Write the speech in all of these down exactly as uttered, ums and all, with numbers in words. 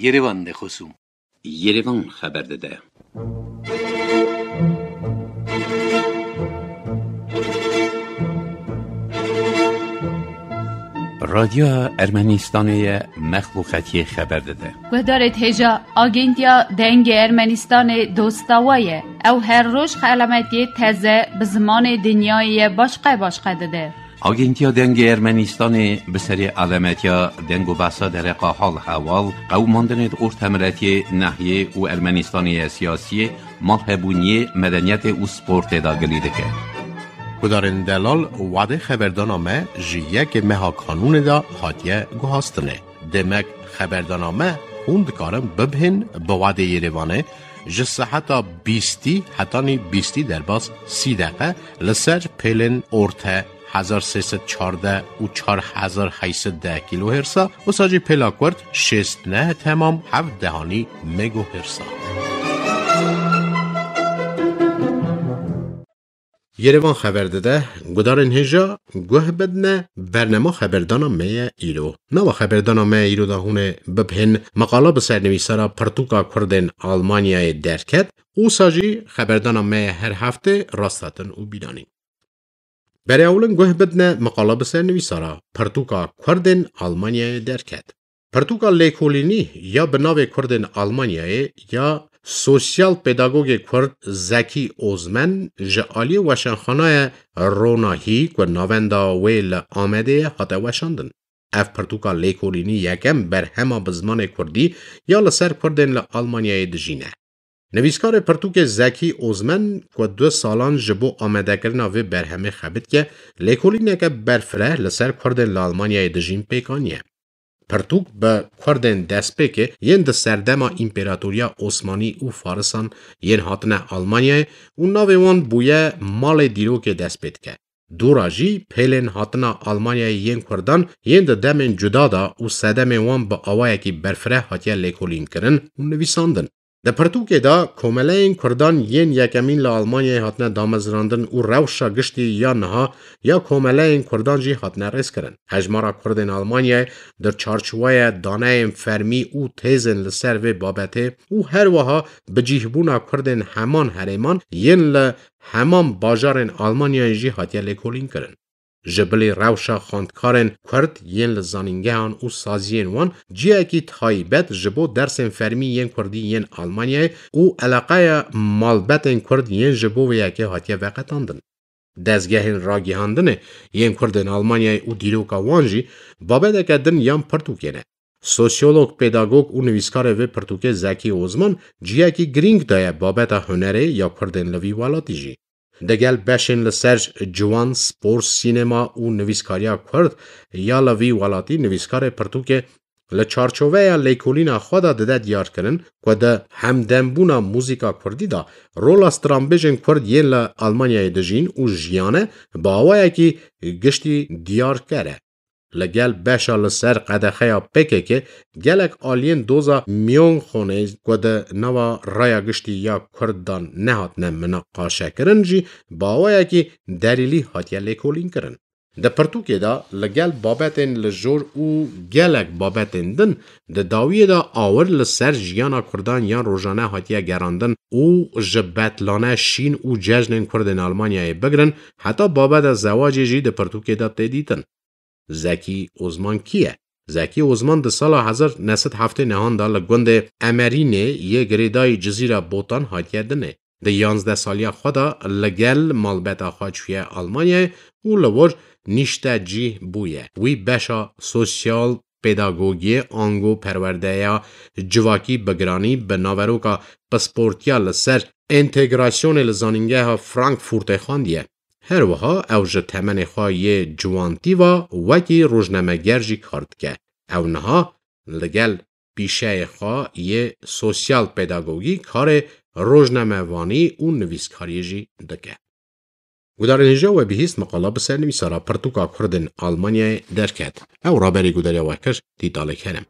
Yerevan de xosûm. Yerevan xeber dide. Radyoya Ermenistanê ye mexluqetiyê xeber dide. Guhdarêt hêja Agentiya Dengê Ermenistanê dosta we ye. Ew her roj xelametiyê teze bi zimanê dinyayê ye başqe başqe dide. Agentiya Dengê Ermenistanê bi serê alametiya deng û behsa dereqa hal heval, qewimandinê di ortemiletiyê, nehiyê û Ermenistanê ye siyasiyê, malhebûniyê, medeniyetê û sportê de gilî dike. Gudarên delal, wadê xeberdana me ji yekê meha kanûnê de hatiye guhastinê. Demek xeberdana me hûn dikarin bibhên bi wadê Yerevanê ji seheta bîstî hetanî bîstî derbas sî deqe li ser pêlên orte hezar sê sed çardeh û çar hezar heyt sed deh kilohertsa, wisa jî pêla kurt şêst neh temam heft dehanî megohertsa. Yerevan xeber dide, gudarên hêja guh bidine, bernema xeberdana me ye îro. Nava xeberdana me ye îro de hûn ê bibhên, meqala bi sernivîsara pirtûka Kurdên Almanyayê derket, wisa jî xeberdana me ye her heftê rasthatin û bîranîn. Berê ewlin guh bidine, meqala bi sernivîsara pirtûka Kurdên Almanyayê derket. Pirtûka lêkolînî ya bi navê Kurdên Almanyayê ya sosyal pedagogê Kurd Zekî Ozmen ji aliyê Weşanxanaya Ronahî ku navenda wê li Amedê ye hate weşandin. Ev pirtûka lêkolînî yekem berhema bi zimanê Kurdî ya li ser Kurdên li Almanyayê dijîn e. Nivîskarê pirtûkê Zekî Ozmen ku du salan ji bo amadekirina vê berhemê xebitiye, lêkolîneke berfireh li ser Kurdên li Almanyayê dijîn pêk aniye. Pirtûk bi Kurdên destpêkê yên di serdema Împeratoriya Osmanî û Farisan yên hatine Almanyayê û navê wan bûye malê dîrokê dest pê dike. Dûra jî pêlên hatina Almanyayê yên Kurdan yên di demên cuda de û sedemên wan bi awayekî berfireh hatiye lêkolînkirin û nivîsandin. Di pirtûkê de komeleyên Kurdan yên yekemîn li Almanyayê hatine damezrandin û rewşa giştî ya niha ya komeleyên Kurdan jî hatine rêzkirin. Hejmara Kurdên Almanyayê di çarçoweya daneyên fermî û têzên li ser vê babetê û her wiha bicîhbûna Kurdên heman herêman yên li heman bajarên Almanyayê jî hatiye lêkolînkirin. Ji bilî rewşa xwendkarên Kurd yên li zanîngehan û saziyên wan cihekî taybet ji bo dersên fermî yên Kurdî yên Almanyayê û eleqeya malbetên Kurd yên ji bo vê yekê hatiye veqetandin. Dezgehên ragihandinê yên Kurdên Almanyayê û dîroka wan jî babeteke din yan pirtûkê ne. Sosyolog, pedagog û nivîskarê vê pirtûkê Zekî Ozman cihekî girîng daye babeta hunerê ya Kurdên li vî welatî jî. Digel beşên li ser ciwan, spor, sînema û nivîskariya Kurd ya li vî welatî nivîskarê pirtûkê li çarçoveya lêkolîna xwe de dide diyarkirin ku di hemdembûna muzîka Kurdî de rola stranbêjên Kurd yên li Almanyayê dijîn û jiyane bi awayekî giştî diyarker e. Li gel beşa li ser qedexeya P K K gelek aliyên doza Miyonxonê ku di nava raya giştî ya Kurd de nehatine minaqaşekirin jî bi awayekî derîlî hatiye lêkolînkirin. Di pirtûkê de li gel babetên li jor û gelek babetên din di dawiyê de awir li ser jiyana Kurdan yan rojane hatiye gerandin û ji betlane şîn û cejnên Kurdên Almanyayê bigirin heta babeta zewacê jî di pirtûkê de tê dîtin. Zekî Ozman kî ye? Zekî Ozman di sala hezar neh sed heftê nehan de li gundê Emerînê yê girêdayî Cizîra Botan hatiye dinê. Di yanzdeh saliya xwe de li gel malbeta xwe çûye Almanyayê û li wir nîştecî bûye. Wî beşa sosyal pedagogiyê ango perwerdeya civakî bi giranî bi naveroka pisportiya li ser entegrasyonê li Zanîngeha Frankfurtê xwendiye. Her wiha ew ji temenê xwe yê ciwantî ve wekî rojnameger jî kar dike. Ew niha li gel pîşeyê xwe yê sosyal pedagogî karê rojnamevanî û nivîskariyê jî dike. Gudarên hêja we bihîst meqala bi ser nivîsara pirtûka Kurdên Almanyayê derket. Ew raberî gudariya we kir, Tîtalê Kerem.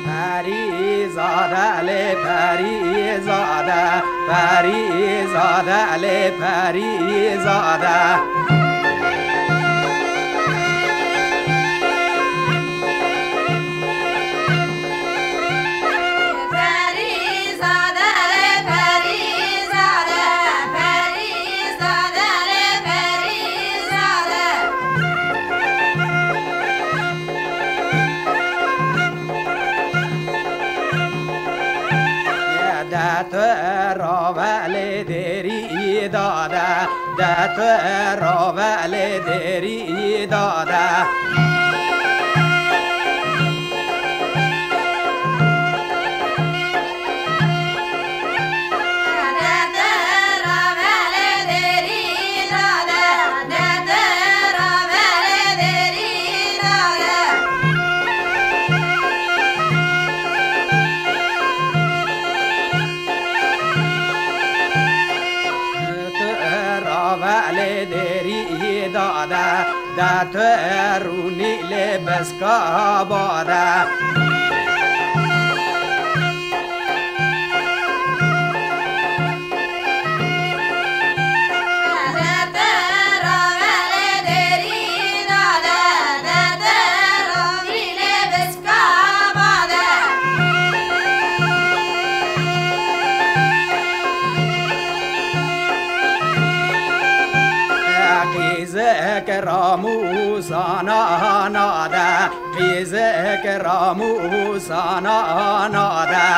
Perîzade lê perîzade, perîzade lê perîzade. Ravelê dêrî dade, de tu ravelê dêrî dade. Tu ravelê dêrî dade, de tu rûnî lê biska bade. Qîzik ramûsana nade, qîzik ramûsana nade.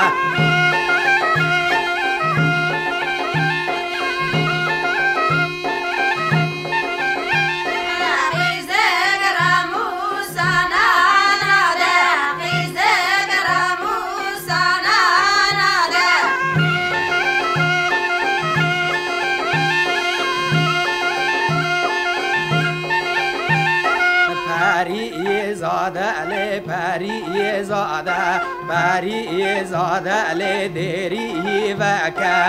Perî zade lê perî zade, perî zade lê dêrî veke.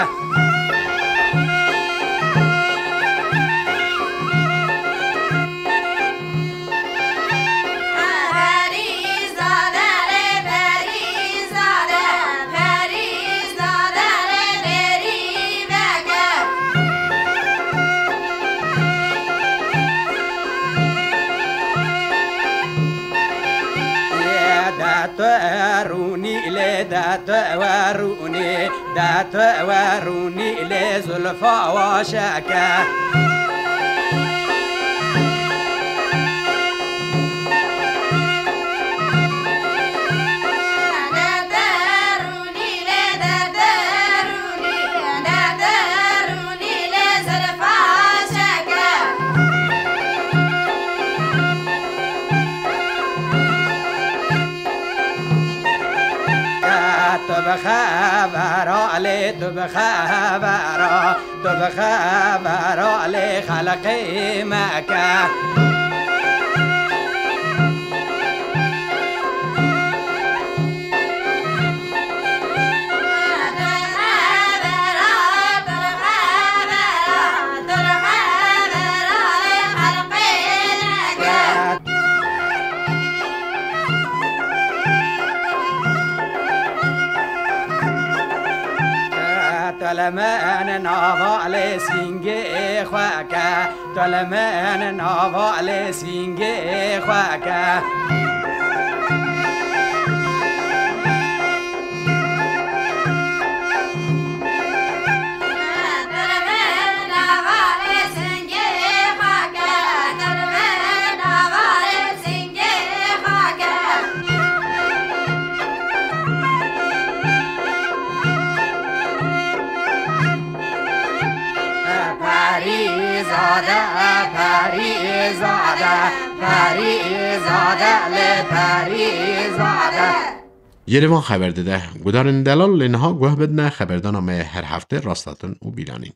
De tu rûnî lê de tu werûnî, de tu werûnî lê zulfa wa şeke. Tu bi xebera lê, tu bi xebera, tu bi xebera lê xelqê meke. Tu li min nava lê sîngê xwe ke, tu li min nava lê sîngê xwe ke. Perîzade, Perîzade, Perîzade, lê Perîzade. Yê li van xeber dide. Gudarên delal lê niha guh bidine xeberdana me her hefte rasthatin û bîlanîn.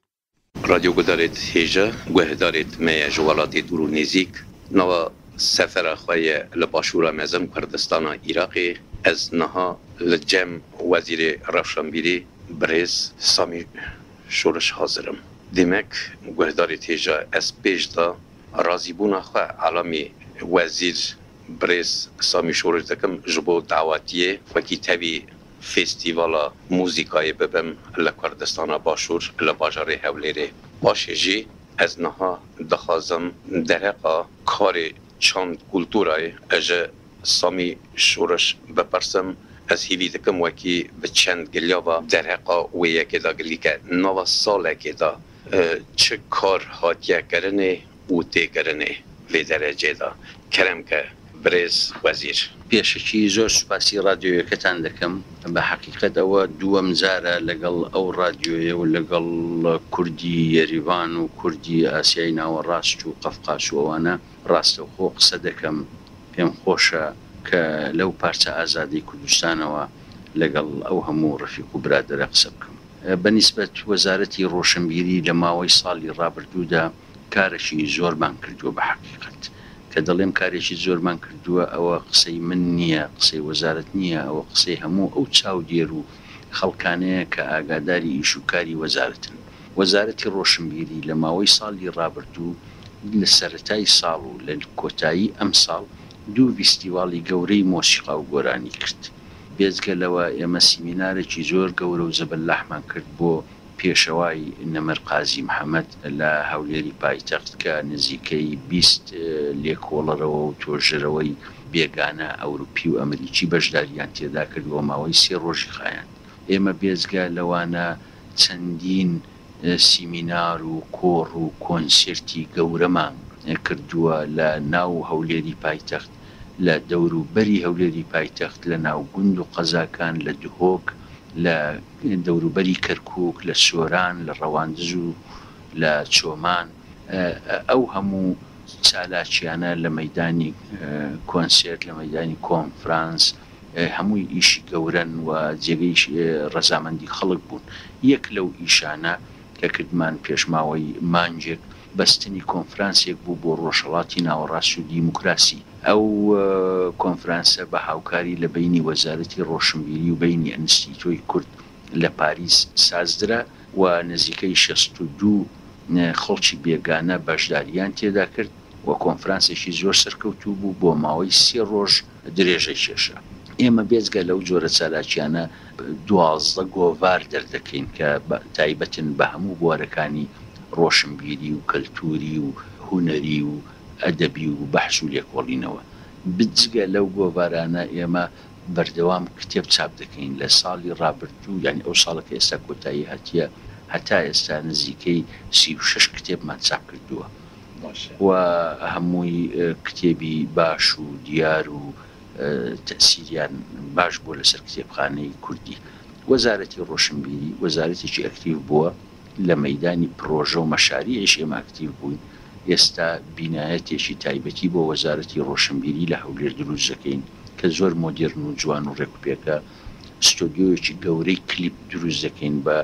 Radyo gudarêt hêja, guhdarêt me ye ji welatê dûr û nêzîk. Nava sefera xwe ye li başûra mezin Kurdistana Iraqê. Ez niha li cem Wezîrê Rewşenbîrî birêz Samî Şoriş hazir im. Demek guhdarêt hêja, ez pêş de razîbûna xwe elamî Wezîr birêz Samî Şoriş dikim ji bo dawetiyê wekî tevî festîvala muzîkayê bibim li Kurdistana Başûr, li bajarê Hewlêrê. Paşê jî ez niha dixwazim derheqa karê çand kulturayê ji Samî Şoriş bipirsim. Ez hîvî dikim wekî bi çend gilya ve derheqa wê yekê de gilî ke nava salekê de, e, çi kar hatiye kirinê û tê kirinê vê derecê de. Kerem ke برێز وەزیر. پێشەکی زۆر سوپاسی رادیۆیەکەتان دەکەم. بە حەقیقەت ئەوە دووەم جارە لەگەڵ ئەو رادیۆیە و لەگەڵ کوردی یەریڤان و کوردی ئاسیای ناوەڕاست و قەفقاس و ئەوانە ڕاستەوخۆ قسە دەکەم. پێم خۆشە کە لەو پارچە ئازادی کوردستانەوە لەگەڵ ئەو هەموو ڕەفیق و برادەرە قسە بکەم. بە نیسبەت وەزارەتی ڕۆشنبیری لە ماوەی ساڵی ڕابردوودا کارێکی زۆرمان کردووە بە حەقیقەت. کە دەڵێم کارێکی زۆرمان کردووە، ئەوە قسەی من نییە، قسەی وەزارەت نییە، ئەوە قسەی هەموو ئەو چاودێر و خەڵکانەیە کە ئاگاداری ئیش و کاری وەزارەتن. وەزارەتی ڕۆشنبیری لە ماوەی ساڵی ڕابردوو، لە سەرەتای ساڵ و لە کۆتایی ئەم ساڵ، دوو ڤیستیواڵی گەورەی مۆسیقا و گۆرانی کرد. بێجگە لەوە ئێمە سیمینارێکی زۆر گەورە و زەبەلاحمان کرد بۆ پێشەوای نەمر قازی محەممەد لە هەولێری پایتەخت کە نزیکەی بیست لێکۆڵەرەوە و تۆژەرەوەی بێگانە ئەوروپی و ئەمریکی بەشداریان تێدا کرد و ماوەی سێ ڕۆژی خایاند. ئێمە بێجگە لەوانە چەندین سیمینار و کۆڕ و کۆنسێرتی گەورەمان کردووە لە ناو هەولێری پایتەخت، لە دەوروبەری هەولێری پایتەخت، لە ناو گوند و قەزاکان، لە دهۆک، لە دەوروبەری کەرکووک، لە سۆران، لە ڕەواندز و لە چۆمان. ئەو هەموو چالاکیانە لە مەیدانی کۆنسێرت، لە مەیدانی کۆنفرانس، هەمووی ئیشی گەورەن و جێگەی ڕەزامەندی خەڵک بوون. یەک لەو ئیشانە کە کردمان پێشماوەی مانگێک بەستنی کۆنفرانسێک بوو بۆ ڕۆژهەڵاتی ناوەڕاست و دیموکراسی. ئەو کۆنفرانسە بە هاوکاری لە بینی وەزارەتی ڕۆشنبیری و بینی ئەنستیتۆی کورد لە پاریس سازدرا و نزیکەی شەست و دوو خەڵکی بێگانە بەشداریان تێدا کرد و کۆنفرانسێکی زۆر سەرکەوتوو بوو، بۆ ماوەی سێ ڕۆژ درێژەی کێشا. ئێمە بێجگە لەو جۆرە چالاکیانە دوازدە گۆڤار دەردەکەین کە تایبەتن بە هەموو بوارەکانی ڕۆشنبیری و کەلتوری و هونەری و ئەدەبی و بەحس و لێکۆڵینەوە. بجگە لەو گۆڤارانە ئێمە بەردەوام کتێب چاپ دەکەین. لە ساڵی ڕابردوو، یعنی ئەو ساڵە کە ئێستا کۆتایی هاتیە، هەتا ئێستا نزیکەی سی و شەش کتێبمان چاپ کردووە و هەمووی کتێبی باش و دیار و تەسیریان باش بووە لەسەر کتێبخانەی کوردی. وەزارەتی ڕۆشنبیری وەزارەتێکی ئەکتیڤ بووە لە مەیدانی پرۆژە و مەشاریعیش ئێمە ئەکتیڤ بووین. ئێستا بینایەتێکی تایبەتی بۆ وەزارەتی ڕۆشنبیری لە هەولێر دروست دەکەین کە زۆر مۆدێرن و جوان و ڕێکوپێکە. ستۆدیۆیەکی گەورەی کلیپ دروست دەکەین بە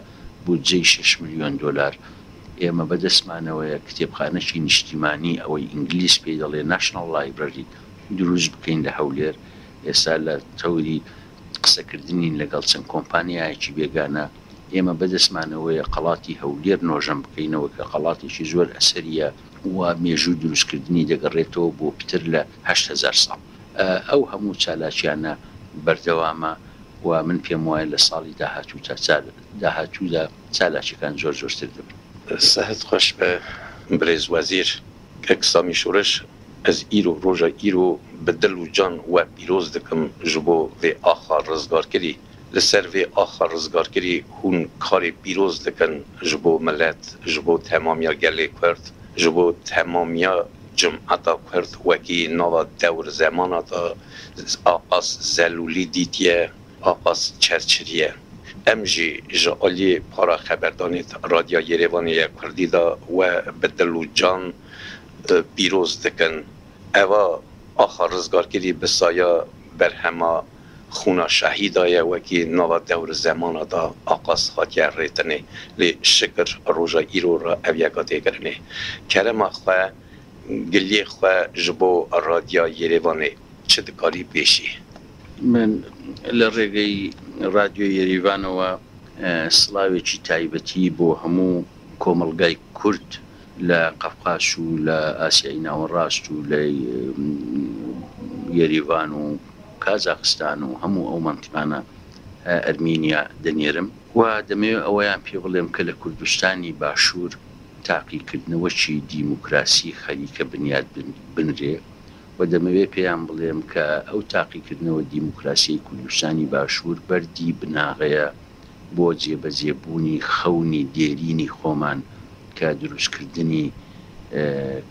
بودجەی شەش ملیۆن دۆلار. ئێمە بەدەستمانەوەیە کتێبخانەکی نیشتیمانی، ئەوەی ئینگلیس پێی دەڵێ National Library، دروست بکەین لە هەولێر. ئێستا لە تەوری قسەکردنین لەگەڵ چەند کۆمپانیایەکی بێگانە. ئێمە بەدەستمانەوەیە قەڵاتی هەولێر نۆژەن بکەینەوە کە قەڵاتێکی زۆر ئەسەریە و مێژوو دروستکردنی دەگەڕێتەوە بۆ پتر لە هەشت هەزار ساڵ. ئەو هەموو چالاکیانە بەردەوامە و من پێم وایە لە ساڵی داهاتوو تا چال داهاتوودا چالاکیەکان زۆر زۆرتر دەبن. سەهت خۆش بە برێز وەزیر. کەک سامی شورش، ez îro, roja îro bi dil û can we pîroz dikim ji bo vê axa rizgarkirî. Li ser vê axa rizgarkirî hûn karê pîroz dikin ji bo milet, ji bo temamiya gelê Kurd, ji bo temamiya cimeta Kurd wekî nava dewr zemana de aqas zelûlî dîtiye, aqas çerçiriye. Em jî ji aliyê para xeberdanê Radya Yerêvanê ya Kurdî de we bi dil û can, e, pîroz dikin. Eva axa rizgarkirî bi saya berhema xûna şehîda ye, wekî nava dewr zemana de aqas hatiye rêtinê. Lê şikir roja îro re ev yeka tê kirinê. Kerema xwe, giliyê xwe ji bo Radya Yerêvanê çi dikarî pêşî? من لە ڕێگەی رادیۆ یەریڤانەوە، ئە، سڵاوێکی تایبەتی بۆ هەموو کۆمەڵگای کورد لە قەفقاس و لە ئاسیای ناوەڕاست و لە، ئم، یەریڤان و کازاخستان و هەموو ئەو مەنتیقانە، ئە، ئەرمینیا دەنێرم و دەمەوێت ئەوەیان پێ بڵێم کە لە کوردستانی باشوور تاقیکردنەوەکی دیموکراسی خەریکە بنیاد بن-، بنرێ و دەمەوێت پێیان بڵێم کە ئەو تاقیکردنەوە دیموکراسیی کوردستانی باشوور بەردی بناغەیە بۆ جێبەجێبوونی خەونی دێرینی خۆمان کە دروستکردنی، ئە،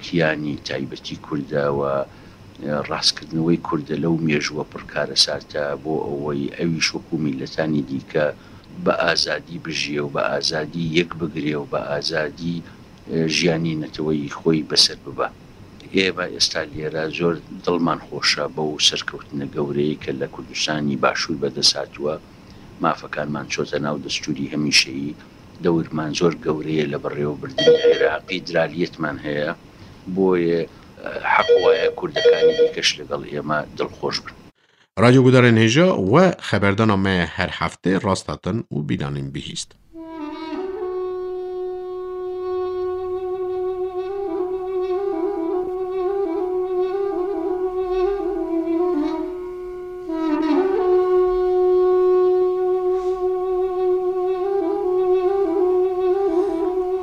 کیانی تایبەتی کوردە و ڕاستکردنەوەی کوردە لەو مێژووە پڕ کارەساتە، بۆ ئەوەی ئەویش وەکو میلەتانی دیکە بە ئازادی بژیێ و بە ئازادی یەک بگرێ و بە ئازادی، ئێ، ژیانی نەتەوەی خۆی بەسەر ببا. ئێمە ئێستا لێرە زۆر دڵمان خۆشە بەو سەرکەوتنە گەورەیە کە لە کوردستانی باشوور بەدەست هاتووە. مافەکانمان چۆتە ناو دەستووری هەمیشەیی. دەورمان زۆر گەورەیە لە بەڕێوەبردنی عێراقی. درالیەتمان هەیە. بۆیە، ئە، حەق وایە کوردەکانی دیکەش لەگەڵ ئێمە دڵخۆش بن. رادیو گودارên hêja we xeberdana me her heftê rast hatin û bîlanîn bihîst.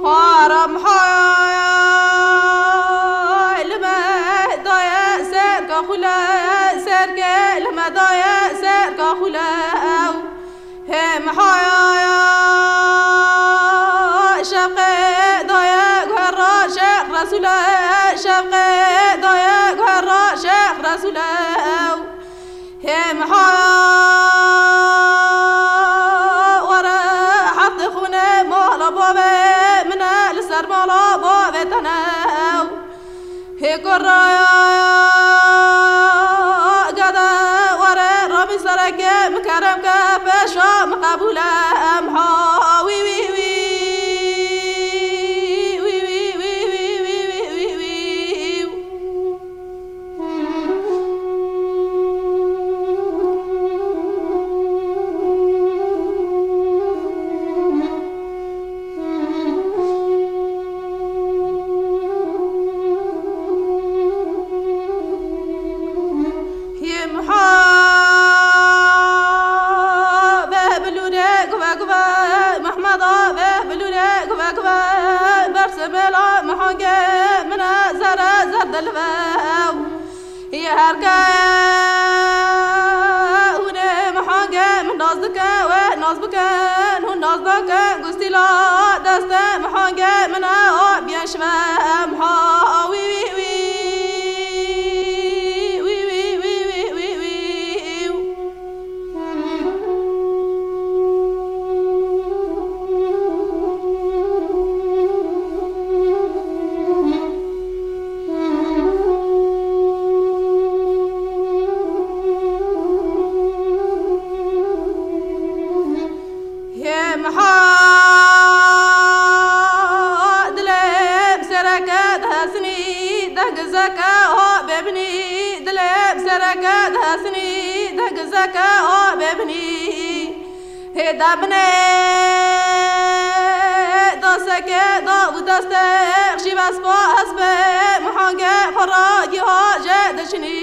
Haram hay li me daye serka xule, serke li me daye serka xule ew. Hê mihaya şevqê daye guhera Şêx Resûle, şevqê daye guhera Şêx Resûle ew. Hê mihaya were heftê xûnê mala bavê min e, li ser mala bavê te ne ew. Hê kuraya gede were rabî sereke min kerem ke pêşa min qebûle em ha wî wî wî. Him ha ve bilûre guve guve, Mehmeda ve bilûre guve guve, berse bela mihange mine zere zer dilive ew. Yê her ke hûn ê mihangê min nas dike, wê nas bikin, hûn nas nakin, gustîla destê mihangê min e, o biyen şive em ha wî wî wî. Hê miha dilê bi sereke dihesinî, deng zeke ho bêbinî, dilê bi sereke dihesinî, deng zeke ho bêbinî. Hê da binê da seke da û destê xşî vespa hesbê muhange xwe ra giha jê diçinî.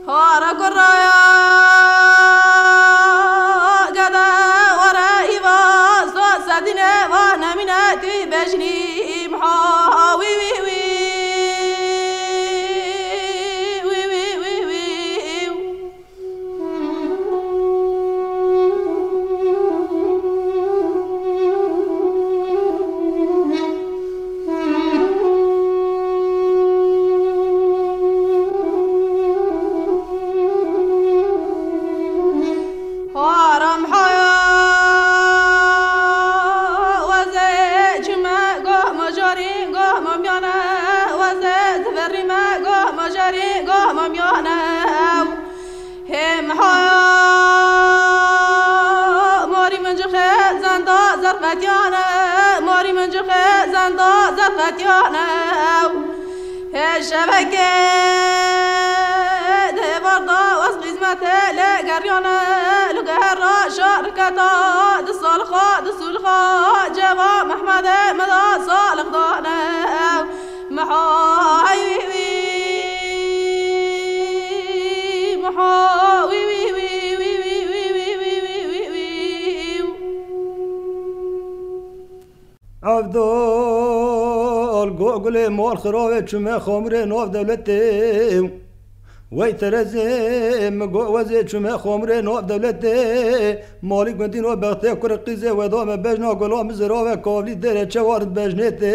Hara kuraya gede were îva zor sedîne va nemîne tî bejnî imha wî wî wî. Wî wî wî wî. Haram haya weze çime go majarî go mamyane weze ziverî me go majarî go mamyane. Hê miha morî min cixê zenda zerqetiyane, morî min cixê zenda zerqetiyane. Hê şevekê di êvarda wez xîzmetê lê geriyane, li gehera şariketa di salxa, di sulxa, ceva Mehmedê me da salix dane. Miha wî wî, miha wî wî wî. Evdal go gulê mal xiravê çime xamurê nav dewletê. Wey terezê min go wezê çime xamurê nav dewletê. Malî gundî nav bextê kurê qîzê weda me bejna gula min zirave kavlî dêrê çewarin bejnê tê.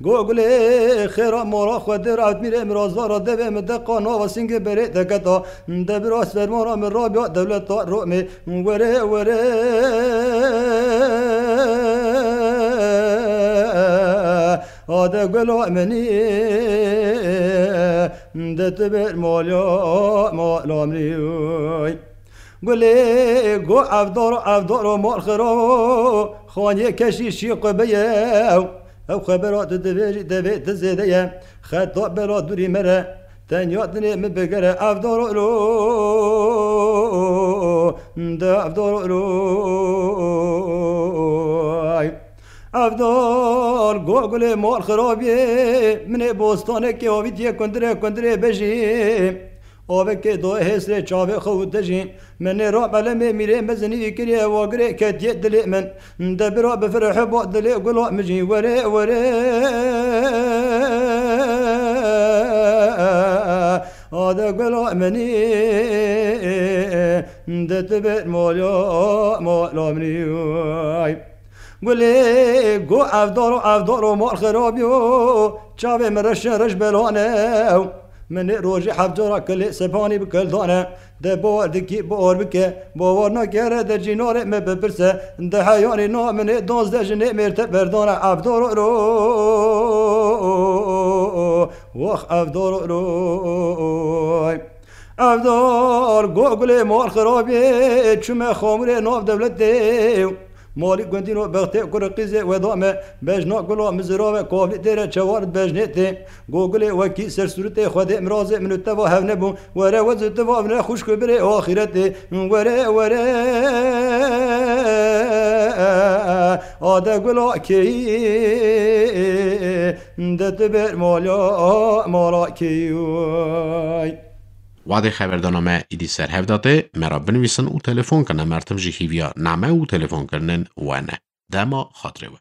Go gulê xêra mora xwe dir Evdmîrê min razara devê min deqa nava sîngê berê deketa. De bira fermana min rabiya dewleta Romê. Were, were, ade gula minî, de tu ber mala, mala minî. Gulê go evdar, evdar û mal xira, xaniyê keşî şî qe beye. Ew xebera tu divêjî devê tu zêde ye. Xeta bela dûrî mere, tenya dinê min bigere evdar û lo, de evdar û lo. Evdar go gulê mal xirabiyê, min ê bostanekê avîtiye kundire kundire bejî. Avekê doyê hêsrê çavê xwe û te jî. Min ê ra belemê mîrê mezinî kiriye wagirê ketiye dilê min. De bira bi fireh ba dilê gula min jî were were. Ade gula minî, de tu ber mala, mala minî. Gulê go evdar û evdar û mal xirabî yo. Çavê min reşin reş belane. Min ê rojê heft cara kilê sepanî bi kildane. De bawer dikî bawer bike. Bawer nakere de cînarê me bipirse. De heyanî na min ê danzdeh jinê mêrte berdane. Evdar û ro. Wax evdar û ro. Evdar go gulê mal xirabê, çûme xamûrê nav dewletê. Malî gundîno bextê kurê qîzê weda me, bejna gula mizirave kavlî têre çewar bejnê tê. Go gulê wekî sersûritê Xwedê mirazê min û teva hev nebû. Were wez û tiva vine xuşk û birê axîretê. Were, were, ade gula keyî, de tu ber mala, mala keyî. Wadê xeberdana me îdî ser hev datê, me ra binivîsin û telefon kin, em mertim jî hîviya name û telefonkirinên we ne. Dema xatirê we.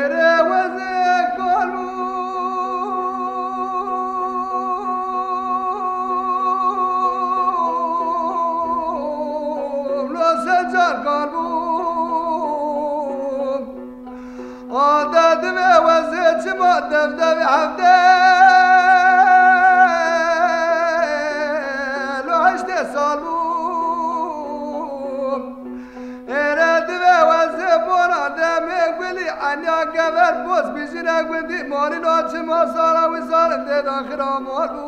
Êrê wezê kal bû, lo secar kal bû. Ade divê wezê çima dev devê hevdê lo heştê sal bû. Êre divê wezê bona demê gulî enya gever boz bijine gundî malî lo çima sala wî sal dê daxira mal bû.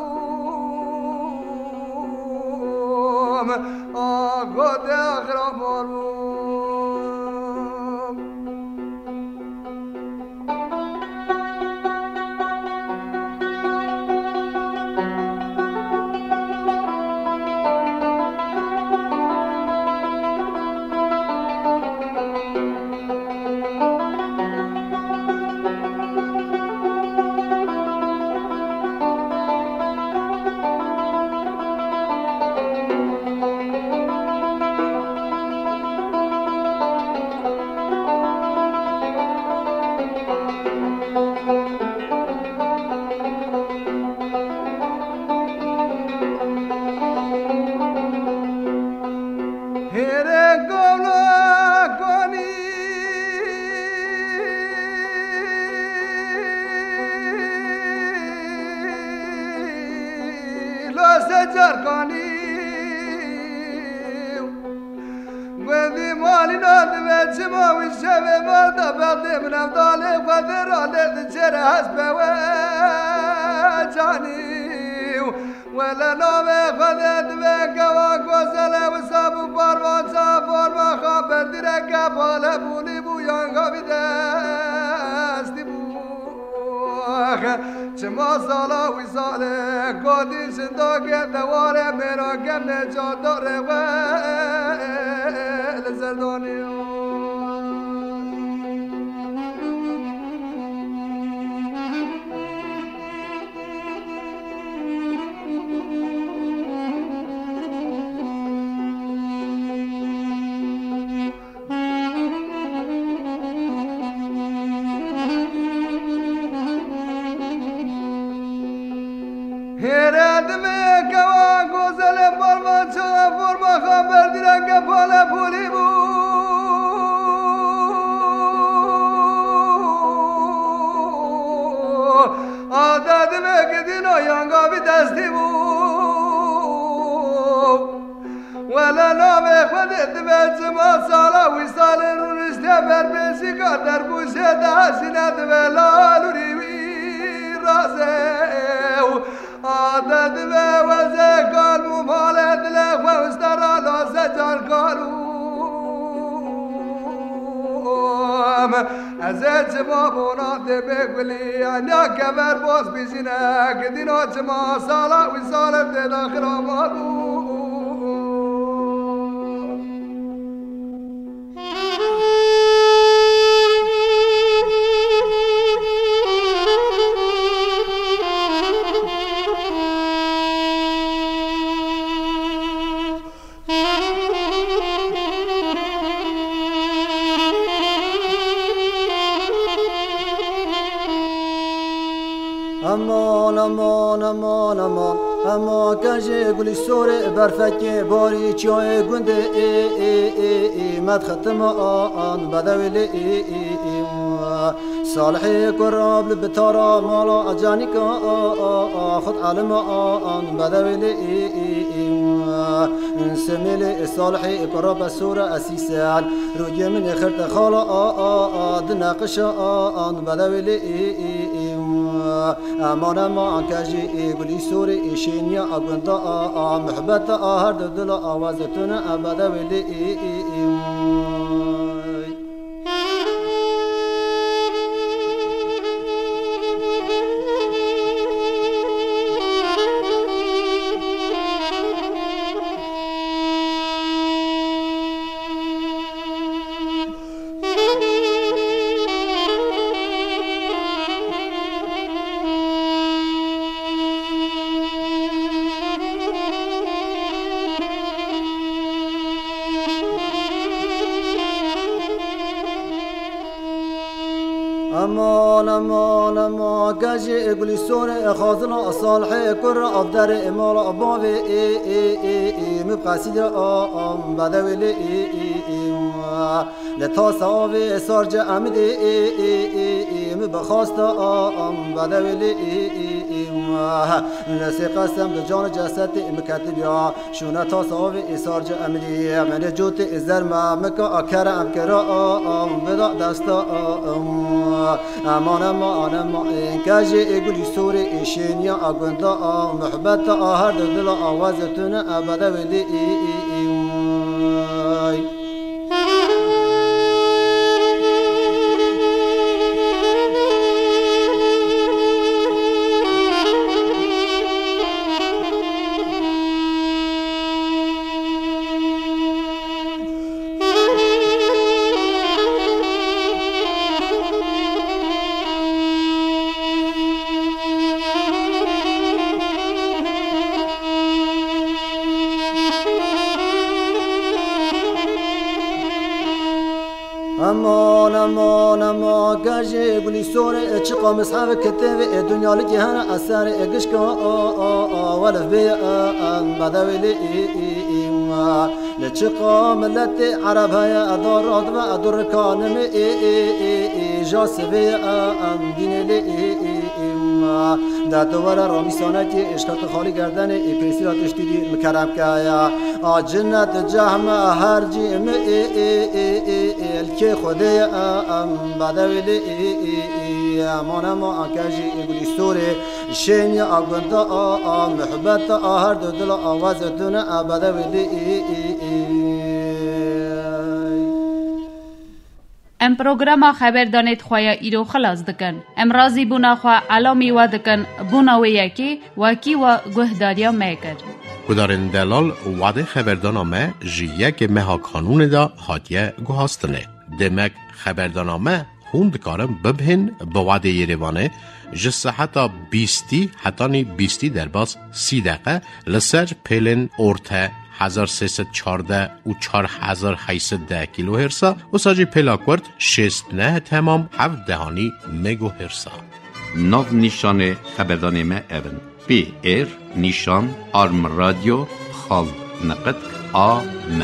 Ago dê daxira mal bû. Hêrê golakanî, lo secarkanî. Gundî malîna divê çima wî şevê mal de bextê min evdalê xwe dê ralê diçêre hespe we canî. Wele navê Xwedê divê kewa gozelê wisa bû parvanca forma xwe berdireke pale bûlî bû yan xavî destî bû. Çima sala wî salê godî jindakê dewarê mêra kemnê çadarê we li ser danî. Ade divê gidîna yanga vî destî bû. Wele navê Xwedê divê çima sala wî salê rûniştê ber pêşîka derbûşê de hesîne divê lalûrî wî razê û ade divê wezê kalm û malê dilê xwe û stera lase can kalûm. Ez ê çima bona tê bê gulî, enya kever boz bijîne, gidîna çima sala wî sale tê daxil ama bû. Eman, eman, eman, eman. Ema kejê gulî sorê berfekê barî çiyayê gundê ê, ê, ê, ê, medxetim an bedewê lê ê, ê, ê. Salihê kurab li bitara mala acanika a, a, a, xud alima a, an bedewê lê ê, ê, ê. Semêlê salihê kurab sora esîsen. Rûyê min ê xirte xala a, a, a, di neqişa a, an bedewê lê ê, ê, ê. Eman, eman, kejê ê gulî sorê ê şêniya a gunda a, a, muhbeta a her du dila a wezitune a bedewê lê ê, ê, ê. Eman, eman, eman, kejê gulî sorê xazina salihê kur avderê mala bavê ê, ê, ê, ê, min qesîde a, am bedewê lê ê, ê, ê, ê. Li tasa avê sar ce emidê ê, ê, ê, ê, min bi xasta a, am bedewê lê ê, ê, ê, ê. Li sê qesem bi can cesetê min ketibiya. Şûne tasa avê îsar ci emrî, menê cotê îzer me, mika a kerem kira a, am bida desta a, am. Eman, eman, eman, ê kejê ê gulî sorê ê şêniya a gunda a, muhbeta a her du dila a wezitune a bedewê lê ê, ê, ê, ay. Eman, eman, eman, kejê gulî sorê, çiqa mishef kitêvê, e, dunya li kê hene eserê, e, gişka, a, a, a, welef bê, e, em bedewê lê, ê, ê, ê, ma. Li çiqa miletê ereb heye, e, darat ve, e, durkanimê, ê, ê, ê, ê, ja sivê, e, em dînê lê, ê, ê, ê, ma. De tu were ramîsanekê, ê, şkert xalî gerdenê, ê, pêsîra tiştî dî, mikerem keye. A cinnet cehme her cî mi ê, ê, ê, ê, ê, li kê Xwedê ye, em bedewê lê, ê, ê, ê, eman, eman, kejî ê gulî sorê, şêniya a gunda a, a muhbet a her du dila a wezitune, a bedewê lê, ê, ê, ê. Em programa xeberdanê di xwe ya îro xilas dikin. Em razîbûna xwe elamî we dikin, bûna wê yekê wekî we guhdariya me kir. Guhdarên delal, wadê xeberdana me ji yekê meha Kanûnê de hatiye guhastinê. Demek xeberdana me hûn dikarin bibihên bi wadê Yerêvanê ji seheta bîstî hetanî bîstî derbas sî deqe li ser pêlên orte hezar sê sed çardeh û çar hezar heyt sed deh kîlohêrsa, wisa jî pêla kurt şêst neh temam heft dehanî megohêrsa. Nav nîşanê xeberdanê me ev in: P R nîşan arm radyo xal niqitk a m.